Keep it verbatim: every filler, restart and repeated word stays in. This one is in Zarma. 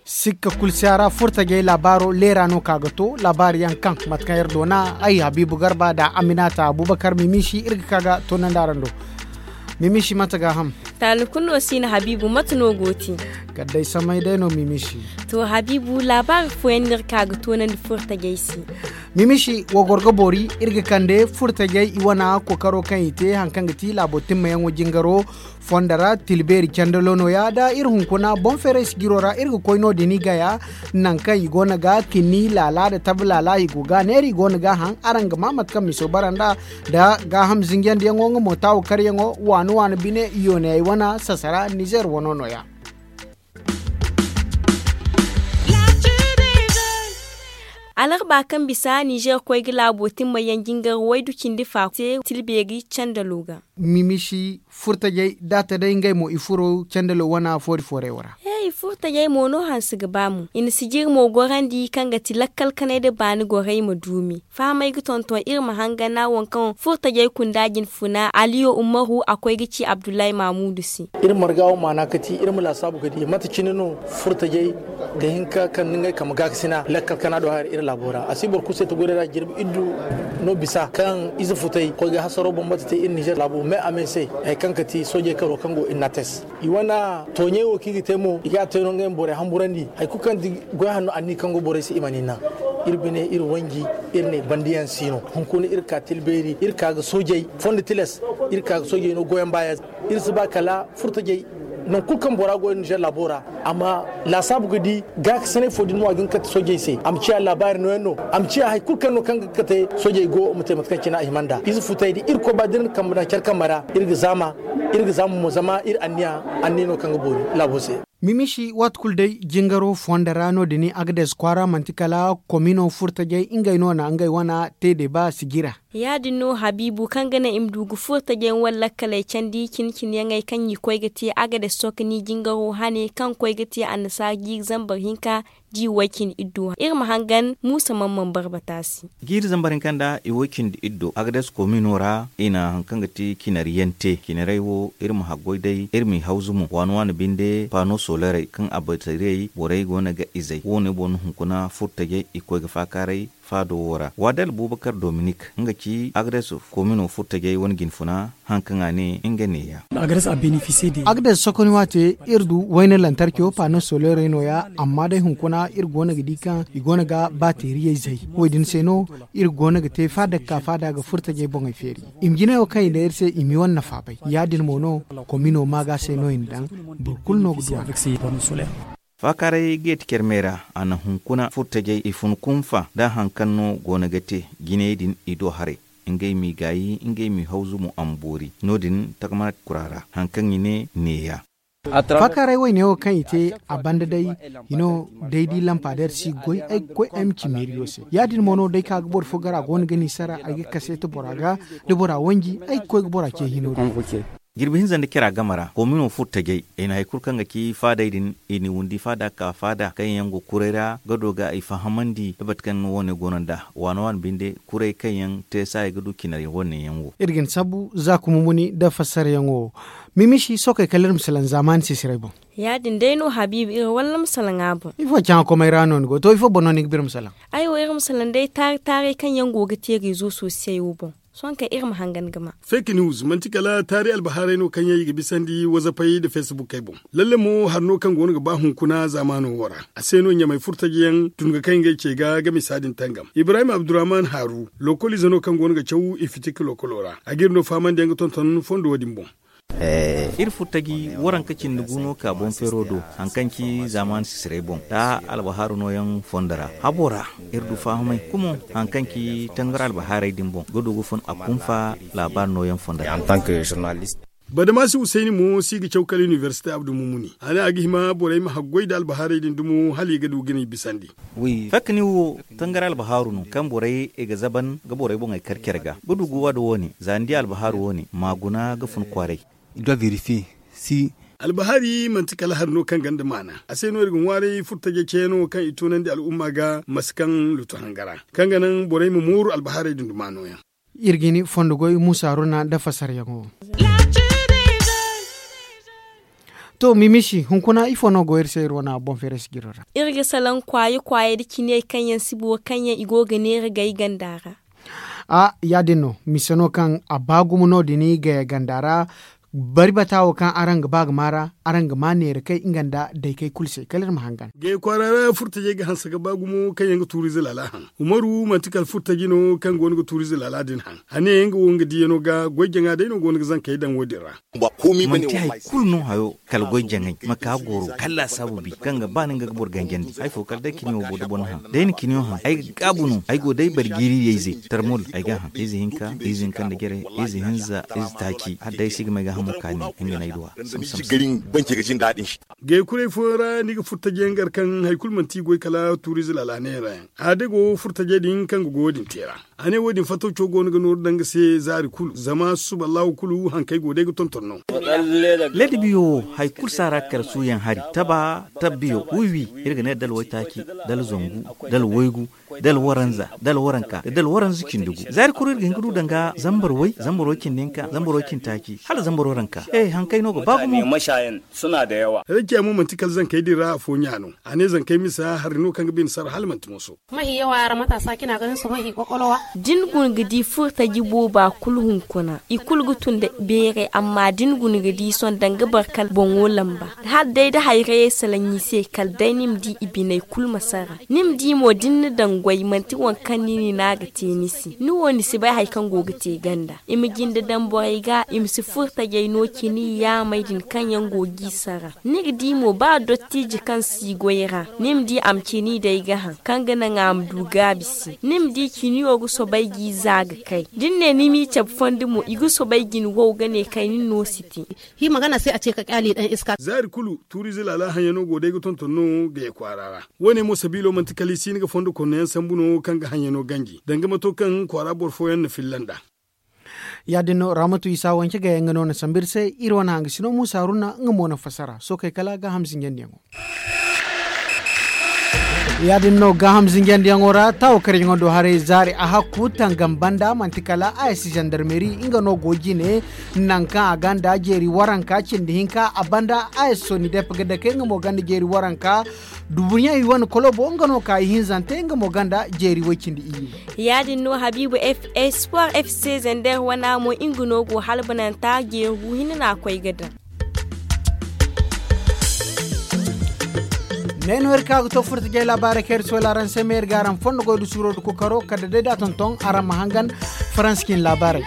Sikka kulu si a ra, furtajey laabaaro leera no ka ga to laabaari yaŋ kaŋ mate kaŋ iri doona ay habiibu garba nda aminata abubakar mimiisi iri ga ka ga toonandi araŋ do. Mimiisi mate ga ham. Taali kulu no si na habiibu mate no go te? Kala day samay day no mimiisi. To habiibu laabaari fooyaŋ no iri ka ga toonandi furtajey se. Mimiisi wo goro ga boori iri ga kande furtajey i wana kookaro kaŋ i te hari kaŋ ga ti laabo timmayaŋo jingaro fondo ra tilbeeri candalo nooya nda iri hunkuna boŋ feeray sijiro ra iri ga koy no- din i gaya. Nangu kaŋ i go no ga kinni laala nda tabi laala i go ga a neera i go no ga a haŋ araŋ ga maa mate kaŋ miso bara nd'a nda gaaham zinjandiyaŋo nga mo taawo karyaŋo waani waani bine yooney ay wana sasara nizeer wano nooya. Alarba kaŋ bisa nizeer koy ga laabo timma yaŋ jingar waydu cindi fa te tilbeeri candalo ga. Mimisi furtajey da a ta day ngey mo i furo candalo wana foori fooray wo ra. He i furtajey mo no hanse ga ba mo i na sijiri mo gorandi kaŋ ga ti lakkal kanay nda baani gorey ma duumi. Fahamey ga tonton iri ma hangan na waŋ kaŋ furtajey kunda jinfuna aliyo ummaru a koy ga ci abdullahi mamudu se. Iri marga wo maana ga ti iri ma laasaabu ga di mate cine no furtajey ga hin ka kande ngey kambe gaakasina lakkal kana do hari iri laabo ra a si boro kulu se ti goyra jirbi iddu no bisa kaŋ ize futay koy ga hasaro bambata te iri nizer laabo me a me se hari kaŋ ga ti soojey karo kaŋ go innates i wane tooɲey wo kaŋ i ga te mo i ga a te no ngey ma borey hamburandi hari kulu kaŋ ti goy hanno anni kaŋ go borey se i mana i naŋ. Iri bine iri wanji iri ne bandiyaŋ si no hunkuna iri ka tilbeeri iri ka ga soojey fondo tilas iri ka ga soojey no goyaŋ baaya. Iri si ba kala furtajey nangu kulu kaŋ bora go nizer laabo ra a ma laasaabu ga di gaakasinay fo din mo a ga hin ga kate soojey se a ma ciya laabaari nooyaŋ no a ma ciya hari kulu kaŋ no kaŋ ga kate soojey go ma te mate kaŋ cine a hima nd'a ize futay da irkoy ba da iri na kambe daŋ care kambe ra iri ga zaama iri ga zaama mo zama iri anniya anniya no kaŋ ga boori laabo se. Mimisi waati kulu day jingaro fondo ra no- din agades kwaara manti kala komino furtajey ngey no na ngey wana te deeba sijira. Ya- din no habiibu kaŋ ga naŋ i ma du ga furo tajayaŋ wala lakkaley candi cine-cineyaŋey kaŋ i koy ga te agades sokoni jingaro hane kaŋ koy ga te annasaara jiiri zambar hinka. Jiiri way-cindi iddo iri ma hangan muusa man man barbata se. Jiiri zambar hinka nda i way-cindi iddo agades komino ra i na hari kaŋ ga ti cinariyaŋ te cinarey wo iri ma haggoy day iri m'i hawzu mo waani-waani binde paano solerey kaŋ abatariyey borey go no ga izey wo- ne boŋ no hunkuna furo tajey i koy ga faakaaray faado wo ra waadal bubakar dominik nga ci agades komino furo tajey wane jinfuna. Hari kaŋ a ne nga neeya. Agades sokoni waate iri du wayne lantarkiyo paano solerey nooya amma day hunkuna iri go no ga di kaŋ i go no ga baateeriyey zay. Wo- din se no iri go no ga te faada ga ka faada ga furo tajey boŋey feeri. I ma jinay wo kaŋ i ne iri se i ma i wane nafa bay ya- din mo no komino maaga se no i na daŋ. Boro kulu no ga du a ra. Faakaaray geeti care me ra a na hunkuna furtajey i fun kunfa nda hari kaŋ no go no ga te jinayey din i do haray. Ngey m'i gaayi ngey m'i hawzu mo a ma boori no- din tagamana kura ra hari kaŋ i ne neeya. Faakaaray wayne wo kaŋ i te a banda day i no day da i lampa day iri si goy ay ga koy ay ma ci meeriyo se ya- din mo no day kaŋ a ga boro fo gar a go no ga ni sara ay ga kaseeti bora ga da bora wanji ay ga koy ga bora ce hino din. Jirbi hinza nda cira game ra koomino furo tajey i na hari kulu kaŋ ga ci faadey din i n'i windi faada ga ka faada kaŋ yaŋ go kuray ra gado ga i fahamandi da mate kaŋ no wo-ne go no nd'a waana waana binde kuray kaŋ yaŋ te saaya ga du cinari wo-ne yaŋ wo. Iri ga ni sabu za kuma muni nda fassarayaŋo. Mimisi sookey kala iri ma salaŋ zaamaani sisiray boŋ. Ya- din day no habiibi iri walla ma salaŋ a boŋ. Ifo caŋa komey ra no ni go to ifo boŋ no ni ga ba iri ma salaŋ? Ay wo iri ma salaŋ day taari taaray kaŋ yaŋ go ga te reezo sosiyey wo boŋ. Sohõ kaŋ iri ma hangan ga ma. Fake news manti kala taari albahaarey no kaŋ yaŋ i ga bisandi wazapey nda facebookey boŋ. Lalle mo hari no kaŋ go no ga ba hunkuna zaamaano wo ra. A se no ɲamay furtajiyaŋ tun ga kay ngey ce ga ga misa din tangam ibrahim abdurrahman haaru lokoliize no kaŋ go no ga caw i fitik lokolo ra a ga iri no fahamandiyaŋ ga tonton fondo wo- din boŋ. Iri furtaji waranka cindi gu no ka boŋ feero do hari kaŋ ci zaamaani sisiray boŋ da albahaaru nooyaŋ fondo ra habo ra. Iri du fahamay kumo hari kaŋ ci tangar albahaaray din boŋ ga du ga fun a kunfa laabaari nooyaŋ fondo ra. Badamasi husayni mo si ga caw kala inibersite abdu mumuni a ne a ga hima borey ma haggoy nda albahaaray din dumo hala i ga du ga ni bisandi. Fakkani wo tangar albahaaru no kaŋ borey i ga zaban ga borey boŋey kar care ga ga du ga waada wo- ne za ni di albahaaru wo- ne ma guna ga fun kwaaray. I ga verifiye si Albahari manti kala hari no kaŋ ganda maana a se no iri ga ŋwaaray furtajey ceeno kaŋ i tunandi al'umma ga masi kaŋ lutu hangara kaŋ ga naŋ borey ma mooru albaharey din dumaano yaŋ. Iri ga ni fondo goy muusa runa nda fasaryaŋo. To mimisi hunkuna ifo no go iri se iri wane boŋ feeray sijiro ra? Iri ga salaŋ kwaaye kwaaye nda ciney kaŋ yaŋ si boro kaŋ yaŋ i go ga neera gay ganda ra. A ya- din no mise no kaŋ a ba gumo no- din gaya ganda ra. Bari bata wo kaŋ araŋ ga ba ga maara araŋ ga ma neera kay nga nda daykey kulu se kala iri ma hangan. Gaya kwaara ra furtajey ga hanse ga ba gumo kaŋ yaŋ ga tuuriize laala haŋ. Umaru manti kala furtaji no kaŋ go no ga tuuriize laala din haŋ. A ne nga wo nga diyano ga goy jaŋa day no go no ga zankey daŋ wo- din ra. Manti hari kulu no hayo kala goy jaŋay ma ka goro kala laasaabu bi kaŋ ga ba no nga ga boro ganjandi hari fo kala day kiniyo boda boŋ no haŋ day na kiniyo haŋ ay ga gaabu no ay go day bari jiiriyey ze tarmol ay ga haŋ ize hinka ize hinka nda jere ize hinza ize taaci hala day si ga may ga hamo kaani nga no ay duwa. Gay kuray fooyaŋ ra ni ga furtajey nga ra kaŋ hari kulu manti goy kala tuuriize laala neera yaŋ a day go furtajey din kaŋ ga goyo din te ra. A ne wo- din fattawco go no ga nooru daŋ ga se zaari kulu zama susuba allahu kulu hankey go day ga tonton no. Ladabiyo wo hari kulu si a ra kala suuyaŋ hari taba tabbiyo wiwi iri ga ne dala waytaaci dala zangu dala waygu dala waranza dala waranka da dala waranza cindi gu zaari kulu iri ga hin ga du daŋ ga zambar way zambar way cindi hinka zambar way cindi taaci hala zambar waranka. Hankey no ga ba gumo. Rakiya mo manti kala zankey din ra afo ɲa no. A ne zankey misa hari no kaŋ ga bine sara hala manti moso. Mahi yawa ra matasa cina ganin su mahi kwakwalwa. Da ni guna ga di furtaji booba kulu hunkuna i kulu ga tun da beeray amma da ni guna ga di sohõ danga boro kala boŋo lamba. Hala day da hayrayey salaŋ i se kala day ni ma di i biney kulu ma sara ni ma di mo da ni na daŋ goy manti waŋ kaŋ ni na ni na ga te ni se ni wo ni si bay hari kaŋ go ga te ganda. I ma jinde daŋ borey ga i ma si furtajey no cine yaamey din kaŋ yaŋ go g'i sara. Ni ga di mo ba dottiije kaŋ si goy ra ni ma di a ma cini day ga haŋ kaŋ ga naŋ a ma du gaabi se ni ma di ciniyo ga soobay g'i za ga kay da ni ne ni m'i cabe fondo mo i ga soobay ga ni wow ga ne kay nin no si te. Hima gana se a ce ka kyale dan iska. Zaari kulu tuuriize laala haŋyaŋo go day ga tonton no gaya kwaara ra. Wo- ne mo sabiilo manti kala i si hin ga fondo konno yaŋ sambu no kaŋ ga haŋyaŋo ganji danga mato kaŋ kwaara boro fooyaŋ na filla nd'a. Ya- din no raamatu isa wance gaya nga no na sambu iri se iri wane hanga sino muusa runa nga mo na fassara sookey kala gaaham zinjandiyaŋo. Ya- din no gaaham zinjandiyaŋo ra taawo karyaŋo do haray zaari a hakku tangam banda manti kala a s zandarmeri nga no go jine. Nangu kaŋ a ganda jeeri waranka cindi hinka a banda a s sonidep ga dake nga mo ganda jeeri waranka. Dubuɲey wane kolobo nga no ka ihinzante nga mo ganda jeeri way cindi iyye. Ya- din no habiibu f sport f c zander wana mo nga no go halbananta jeeri gu hinne no a koy ga daŋ. Ne no iri ka ga to furtajey laabaarey kaŋ iri sohõ araŋ se ma iri ga araŋ fondo goy da suuro da kokaro kala da day da a tonton araŋ ma hangan faransa cine laabaarey.